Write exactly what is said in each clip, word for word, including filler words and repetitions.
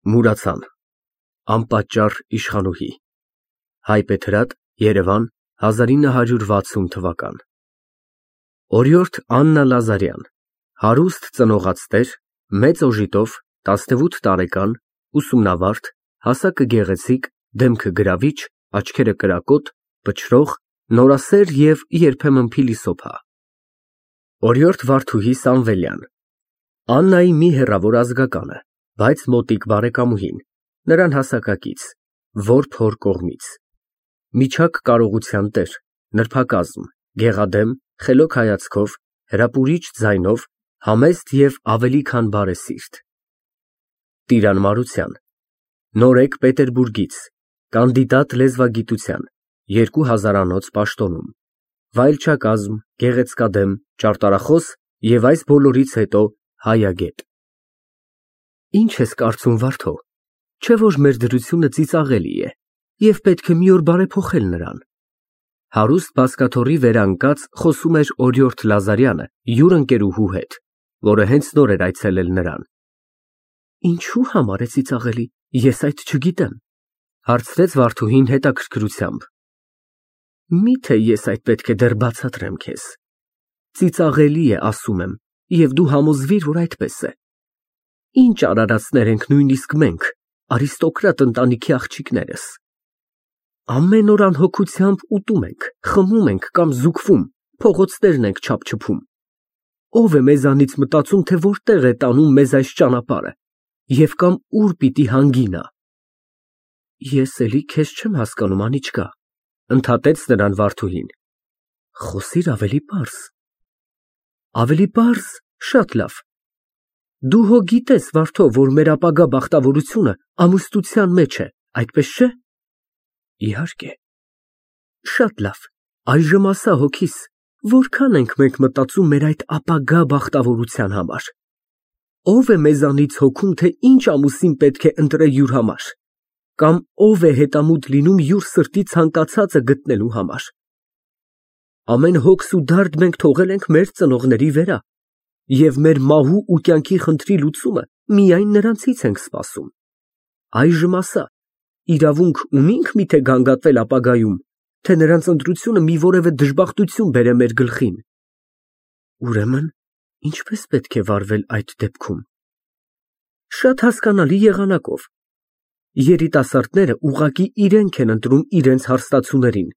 Մուրացան, անպատճառ իշխանուհի, Հայբեթրատ, Երևան, հազար ինը հարյուր վաթսուն թվական Օրիորդ Աննա Լազարյան, հարուստ ծնողացտեր, մեծ օժիտով, տասնութ տարեկան, ուսումնավարդ, հասակը գեղեցիկ, դեմքը գրավիչ, աչքերը կրակոտ, փչրող, նորասեր և երբեմն փիլիսոփա Օրիորդ Վարդուհի Սամվելյան, Աննայի մի հեռավոր ազգականը, բայց մոտիկ բարեկամուհին, նրան հասակակից, որբ հոր կողմից, միջակ կարողության տեր, նրբակազմ, գեղադեմ, խելոք հայացքով, հրապուրիչ ձայնով, համեստ և ավելի քան բարեսիրտ Տիրանմարության, նորեկ Պետերբուրգից, կանդիդատ լեզվագիտության, երկու հազարանոց պաշտոնում, վայելչակազմ, գեղեցկադեմ, ճարտարախոս և այս բոլորից հետո հայագետ Ի՞նչ ես կարծում, Վարդո, չէ՞ որ մեր դրությունը ծիծաղելի է և պետք է մի օր բարեփոխել նրան, հարուստ բազկաթոռի վրա ընկած խոսում էր օրիորդ Լազարյանը յուր ընկերուհու հետ, որը հենց նոր էր այցելել նրան։ Ինչու համար է ծիծաղելի, ես այդ չգիտեմ, հարցրեց Վարդուհին հետաքրքրությամբ։ Միթե ես այդ պետք է դեռ բացատրեմ քեզ։ Ծիծաղելի է, ասում եմ, և դու համոզվիր, որ այդպես է։ Ինչ արարածներ ենք նույնիսկ մենք, արիստոկրատ ընտանիքի աղջիկներս։ Ամեն օր անհոգությամբ ուտում ենք, խմում ենք կամ զուգվում, փողոցներն ենք չափչփում։ Ո՞վ է մեզանից մտածում, թե որտեղ է տանում մեզ այս ճանապարհը և կամ ուր պիտի հանգի նա։ Ես էլի քեզ չեմ հասկանում, Անիչկա, ընդհատեց նրան Վարդուհին։ Խոսիր ավելի պարզ։ Ավելի պարզ, շատ լավ։ Դու հո գիտես, Վարդո, որ մեր ապագա բախտավորությունը ամուսնության մեջ է, այդպես չէ։ Իհարկե։ Շատ լավ, այժմ ասա հոգիս, որքան ենք մենք մտածում մեր այդ ապագա բախտավորության համար։ Ո՞վ է մեզանից հոգում, թե ինչ ամուսին պետք է ընտրե յուր համար, կամ ո՞վ է հետամուտ լինում յուր սրտի ցանկացածը գտնելու համար։ Ամեն հոգս ու դարդ մենք թողել ենք մեր ծնողների վրա, և մեր մահու ու կյանքի խնդրի լուծումը միայն նրանցից ենք սպասում։ Այժմ ասա, իրավունք ունի՞նք միթե գանգատվել ապագայում, թե նրանց ընտրությունը մի որևէ դժբախտություն բերե մեր գլխին։ Ուրեմն, ինչպես պետք է վարվել այդ դեպքում։ Շատ հասկանալի եղանակով։ Երիտասարդները ուղղակի իրենք են ընտրում իրենց հարստացուներին,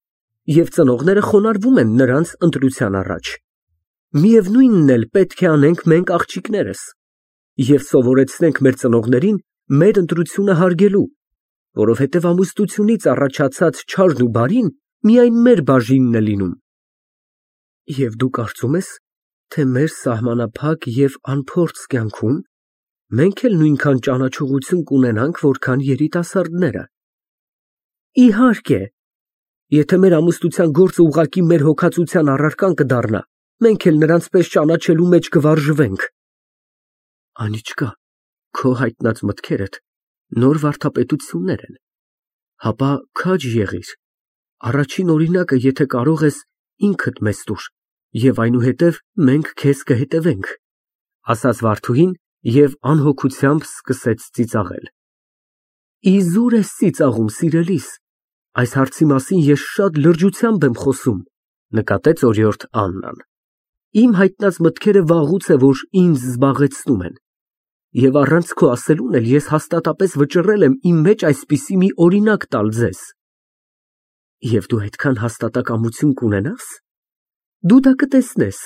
և ծնողները խոնարհվում են նրանց ընտրության առաջ։ Միևնույնն էլ պետք է անենք մենք աղջիկներս, և սովորեցնենք մեր ծնողներին մեր ընտրությունը հարգելու, որովհետև ամուսնությունից առաջացած չարն ու բարին միայն մեր բաժինն է լինում։ Եվ դու կարծում ես, թե մեր սահմանափակ և անփորձ կյանքում մենք էլ նույնքան ճանաչողություն կունենանք, որքան երիտասարդները։ Իհարկե, եթե մեր ամուսնության գործը ուղղակի մեր հոգածության առարկան կդառնա, մենք էլ նրանց պես ճանաչելու մեջ կվարժվենք։ Անիչկա, քո հայտնած մտքերդ նոր վարդապետություններ են, հապա քաջ եղիր, առաջին օրինակը, եթե կարող ես, ինքդ մեզ տուր, և այնուհետև մենք քեզ կհետևենք, ասաց Վարդուհին և անհոգությամբ սկսեց ծիծաղել։ Իզուր ես ծիծաղում, սիրելիս, այս հարցի մասին ես շատ լրջությամբ եմ խոսում, նկատեց օրիորդ Աննան։ Իմ հայտնած մտքերը վաղուց է, որ ինձ զբաղեցնում են, և առանց քո ասելուն էլ ես հաստատապես վճռել եմ իմ մեջ այսպիսի մի օրինակ տալ ձեզ։ Եվ դու այդքան հաստատակամություն կունենա՞ս։ Դու դա կտեսնես։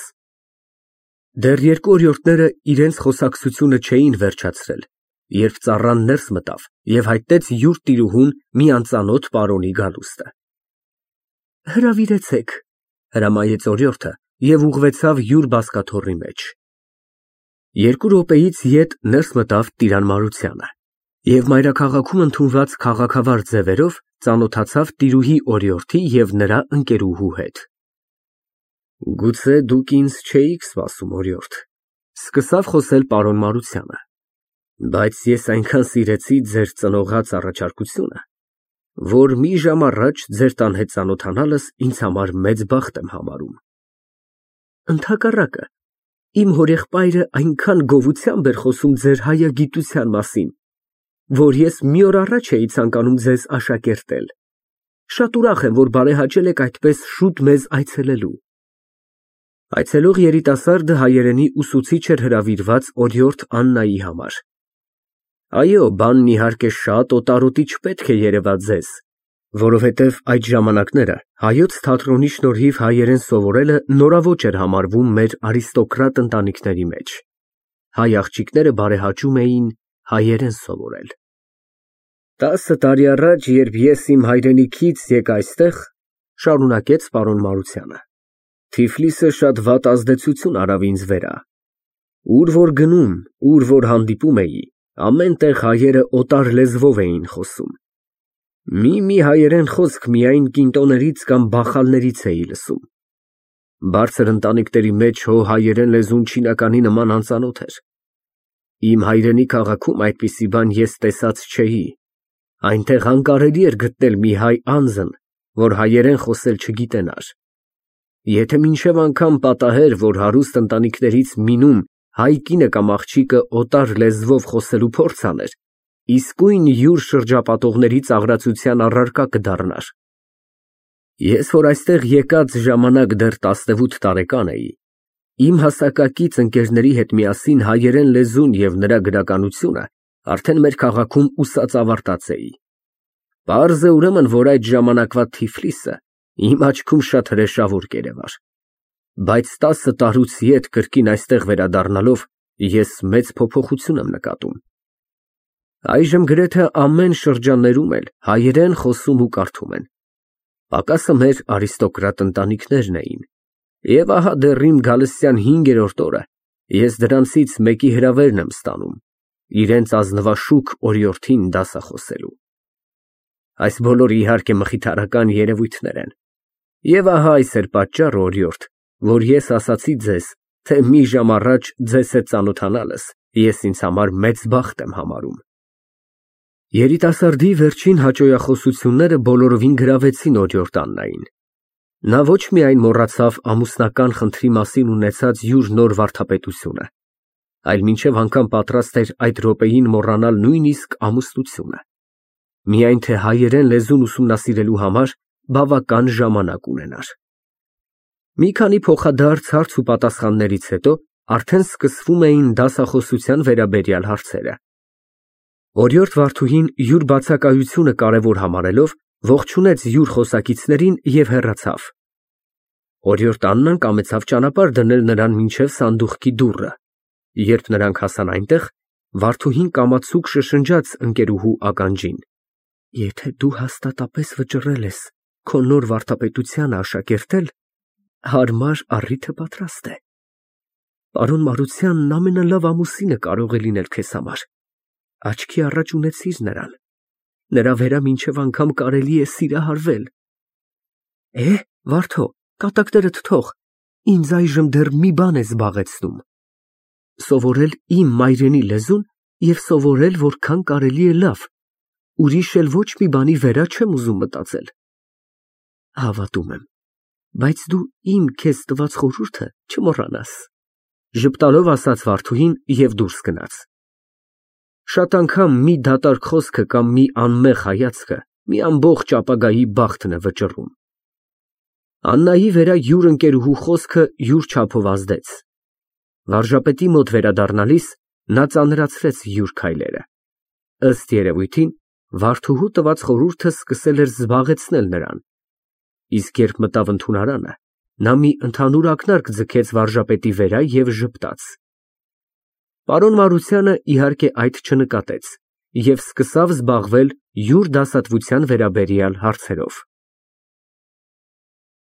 Դեռ երկու օրիորդները իրենց խոսակցությունը չէին վերջացրել, երբ ծառան ներս մտավ և հայտնեց յուր տիրուհուն մի անծանոթ պարոնի գալուստը։ Հրավիրեցեք, հրամայեց օրիորդը և ուղղվեցավ յուր բազկաթոռի մեջ։ Երկու րոպեից ետ ներս մտավ Տիրանմարությանը և մայրաքաղաքում ընդունված քաղաքավար ձևերով ծանոթացավ տիրուհի օրիորդի և նրա ընկերուհու հետ։ Գուցե դուք ինձ չէիք սպասում, օրիորդ, սկսավ խոսել պարոն Մարությանը, բայց ես այնքան սիրեցի ձեր ծնողած առաջարկությունը, որ մի ժամ առաջ ձեր տան հետ ծանոթանալս ինձ համար մեծ բախտ եմ համարում։ Ընդհակառակը, իմ հորեղբայրը այնքան գովությամբ էր խոսում ձեր հայագիտության մասին, որ ես մի օր առաջ էի ցանկանում ձեզ աշակերտել։ Շատ ուրախ եմ, որ բարեհաճել եք այդպես շուտ մեզ այցելելու։ Այցելող երիտասարդը հայերենի ուսուցիչ էր հրավիրված օրիորդ Աննայի համար։ Այո, բանն իհարկե շատ օտարոտի չպետք է երևա ձեզ, որովհետև այդ ժամանակները հայոց թատրոնի շնորհիվ հայերեն սովորելը նորաոճ էր համարվում մեր արիստոկրատ ընտանիքների մեջ։ Հայ աղջիկները բարեհաճում էին հայերեն սովորել։ Տասը տարի առաջ, երբ ես իմ հայրենիքից եկա այստեղ, շարունակեց պարոն Մարությանը, Թիֆլիսը շատ վատ ազդեցություն արավ ինձ վրա։ Ուր որ գնում, ուր որ հանդիպում էի, ամեն տեղ հայերը օտար լեզվով էին խոսում։ Մի-մի հայերեն խոսք միայն կինտոներից կամ բախալներից էի լսում։ Բարձր ընտանիքների մեջ հո հայերեն լեզուն չինականի նման անծանոթ էր։ Իմ հայրենի քաղաքում այդպիսի բան ես տեսած չէի։ Այնտեղ անկարելի էր գտնել մի հայ անձն, որ հայերեն խոսել չգիտենար։ Եթե մինչև անգամ պատահեր, որ հարուստ ընտանիքներից մինում հայ կինը կամ աղջիկը օտար լեզվով խոսելու փորձ աներ, իսկույն յուր շրջապատողների ծաղրացության առարկա կդառնար։ Ես, որ այստեղ եկած ժամանակ դեռ տասնութ տարեկան էի, իմ հասակակից ընկերների հետ միասին հայերեն լեզուն և նրա գրականությունը արդեն մեր քաղաքում ուսած ավարտած էի։ Պարզ է ուրեմն, որ այդ ժամանակվա Թիֆլիսը իմ աչքում շատ հրեշավոր կերևար։ Բայց տասը տարուց ետ կրկին այստեղ վերադառնալով ես մեծ փոփոխություն եմ նկատում։ Այժմ գրեթե ամեն շրջաններում էլ հայերեն խոսում ու կարդում են։ Պակասը մեր արիստոկրատ ընտանիքներն էին։ Եվ ահա դեռ իմ գալստյան հինգերորդ օրը ես դրանցից մեկի հրավերն եմ ստանում, իրենց ազնվաշուք օրիորդին դասախոսելու։ Այս բոլորը իհարկե մխիթարական երևույթներ են։ Եվ ահա այս էր պատճառը, օրիորդ, որ ես ասացի ձեզ, թե մի ժամ առաջ ձեզ հետ ծանոթանալս ես ինձ համար մեծ բախտ եմ համարում։ Երիտասարդի վերջին հաճոյախոսությունները բոլորովին գրավեցին օրիորդ Աննային։ Նա ոչ միայն մոռացավ ամուսնական խնդրի մասին ունեցած յուր նոր վարդապետությունը, այլ մինչև անգամ պատրաստ էր այդ րոպեին մոռանալ նույնիսկ ամուսնությունը։ Միայն թե հայերեն լեզուն ուսումնասիրելու համար բավական ժամանակ ունենար։ Մի քանի փոխադարձ հարց ու պատասխաններից հետո արդեն սկսվում էին դասախոսության վերաբերյալ հարցերը։ Օրիորդ Վարդուհին յուր բացակայությունը կարևոր համարելով ողջունեց յուր խոսակիցներին և հեռացավ։ Օրիորդ Աննան կամեցավ ճանապարհ դնել նրան մինչև սանդուղքի դուռը։ Երբ նրանք հասան այնտեղ, Վարդուհին կամացուկ շշնջաց ընկերուհու ականջին. Եթե դու հաստատապես վճռել ես քո նոր վարդապետությանը աշակերտել, հարմար առիթը պատրաստ է։ Պարոն Մարությանն ամենալավ ամուսինը կարող է լինել քեզ համար։ Աչքի առաջ ունեցիր նրան։ Նրա վերա մինչև անգամ կարելի է սիրահարվել։ Է, Վարդո, կատակներդ թող, ինձ այժմ դեռ մի բան է զբաղեցնում։ Սովորել իմ մայրենի լեզուն և սովորել որքան կարելի է լավ, ուրիշ էլ ոչ մի բանի վերա չեմ ուզում մտածել։ Հավատում եմ, բայց դու իմ քեզ տված խորհուրդը չմոռանաս, ժպտալով ասաց Վարդուհին և դուրս գնաց։ Շատ անգամ մի դատարկ խոսքը կամ մի անմեղ հայացքը մի ամբողջ ապագայի բախտն է վճռում։ Աննայի վերա յուր ընկերուհու խոսքը յուր չափով ազդեց։ Վարժապետի մոտ վերադառնալիս նա ծանրացրեց յուր քայլերը։ Ըստ երևույթին, Վարդուհու տված խորհուրդը սկսել էր զբաղեցնել նրան։ Իսկ երբ մտավ ընդունարանը, նա մի ընդհանուր ակնարկ ձգեց վարժապետի վերա և ժպտաց։ Պարոն Մարությանը իհարկե այդ չնկատեց և սկսավ զբաղվել յուր դասատվության վերաբերյալ հարցերով։